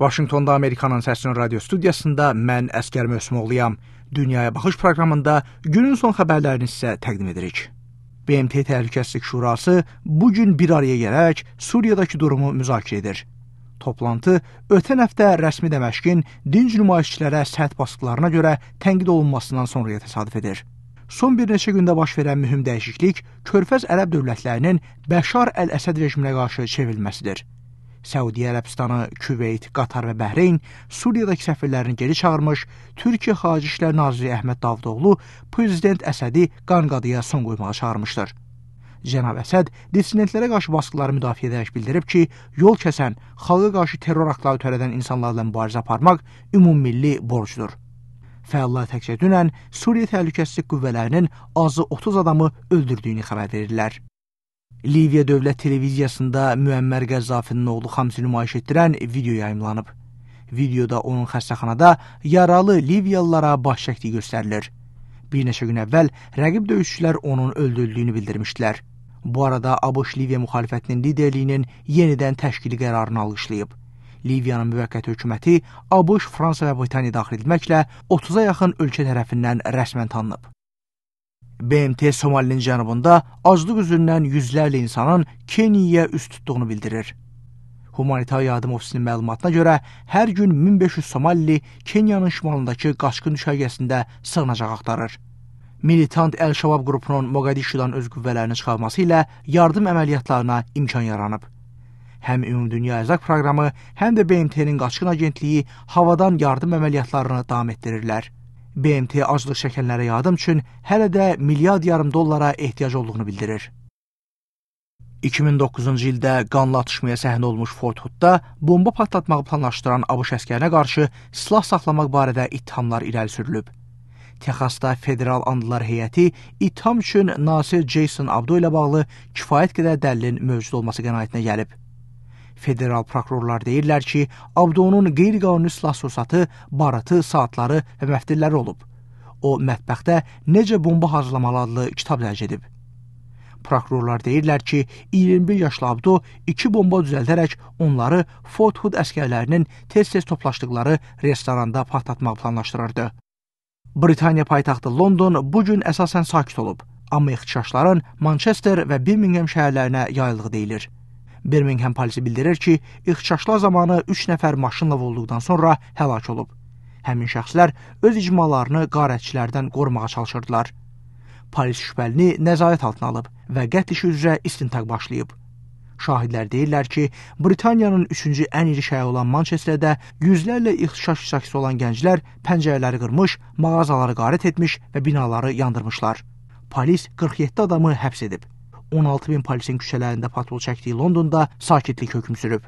Vaşinqtonda Amerikanın Səsinin radio studiyasında mən Əskər Möhsümoğluyam. Dünyaya Baxış proqramında günün son xəbərlərini sizə təqdim edirik. BMT Təhlükəsizlik Şurası bugün bir araya gələrək Suriyadakı durumu müzakirə edir. Toplantı ötən həftə rəsmi Dəməşqin dinc nümayişçilərə sərt basqılarına görə tənqid olunmasından sonraya təsadüf edir. Son bir neçə gündə baş verən mühüm dəyişiklik Körfəz ərəb dövlətlərinin Bəşar Əl-Əsəd rejiminə qarşı çevrilməsidir. Səudiyyə Ərəbistanı, Küveyt, Qatar və Bəhreyn Suriyadakı səfirlərini geri çağırmış, Türkiyə Xarici İşlər Naziri Əhməd Davutoğlu Prezident Əsədi qanqadıya son qoymağa çağırmışdır. Cənab Əsəd dissidentlərə qarşı basqıları müdafiə edərək bildirib ki, yol kəsən, xalqa qarşı terror aktları törədən insanlarla mübarizə aparmaq ümummilli borcdur. Fəallar təkcə dünən Suriya Təhlükəsizlik Qüvvələrinin azı 30 adamı öldürdüyünü xəbər verirlər. Liviya Dövlət Televiziyasında Müəmmər Qəzzafinin oğlu Xamsi nümayiş etdirən video yayımlanıb. Videoda onun xəstəxanada yaralı Liviyalılara baş çəkdiyi göstərilir. Bir neçə gün əvvəl rəqib döyüşçülər onun öldürüldüyünü bildirmişdilər. Bu arada ABŞ Liviya müxalifətinin liderliyinin yenidən təşkili qərarını alqışlayıb. Liviyanın müvəqqəti hökuməti ABŞ, Fransa və Britaniya daxil edilməklə 30-a yaxın ölkə tərəfindən rəsmən tanınıb. BMT Somalinin cənubunda aclıq üzündən yüzlərlə insanın Keniyaya üst tutduğunu bildirir. Humanitar Yardım Ofisinin məlumatına görə hər gün 1500 Somalili Keniyanın şimalındakı qaçqın düşərgəsində sığınacaq axtarır. Militant Əl-Şabab qrupunun Moqadişudan öz qüvvələrini çıxarması ilə yardım əməliyyatlarına imkan yaranıb. Həm Ümumdünya Ərzaq Proqramı, həm də BMT-nin qaçqın agentliyi havadan yardım əməliyyatlarını davam etdirirlər. BMT aclıq çəkənlərə yardım üçün hələ də milyard yarım dollara ehtiyac olduğunu bildirir. 2009-cu ildə qanlı atışmaya səhnə olmuş Fort Hoodda bomba patlatmağı planlaşdıran ABŞ əskərinə qarşı silah saxlamaq barədə ittihamlar irəli sürülüb. Texasda Federal Andılar Heyəti ittiham üçün Nasir Jason Abdo ilə bağlı kifayət qədər dəlilin mövcud olması qənaətinə gəlib. Federal prokurorlar deyirlər ki, Abdonun qeyri-qanuni silah sursatı, baratı, saatları və məftilləri olub. O, mətbəxdə Necə Bomba Hazırlamalı adlı kitab dərc edib. Prokurorlar deyirlər ki, 21 yaşlı Abdo 2 bomba düzəldərək onları Fort Hood əskərlərinin tez-tez toplaşdıqları restoranda patlatmaq planlaşdırırdı. Britaniya paytaxtı London bugün əsasən sakit olub, amma ixtişaşların Manchester və Birmingham şəhərlərinə yayıldığı deyilir. Birmingham polisi bildirir ki, ixtişaşlar zamanı 3 nəfər maşınla vurulduqdan sonra həlak olub. Həmin şəxslər öz icmalarını qarətçilərdən qorumağa çalışırdılar. Polis şübhəlini nəzarət altına alıb və qətl işi üzrə istintaq başlayıb. Şahidlər deyirlər ki, Britaniyanın 3-cü ən iri şəhəri olan Manchesterdə yüzlərlə ixtişaş iştirakçısı olan gənclər pəncərələri qırmış, mağazaları qarət etmiş və binaları yandırmışlar. Polis 47 adamı həbs edib. 16 min polisin küçələrində patrol çəkdiyi Londonda sakitlik hökm sürüb.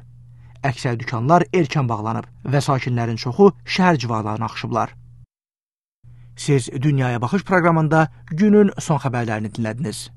Əksər dükanlar erkən bağlanıb və sakinlərin çoxu şəhər civarlarına axışıblar. Siz Dünyaya Baxış proqramında günün son xəbərlərini dinlədiniz.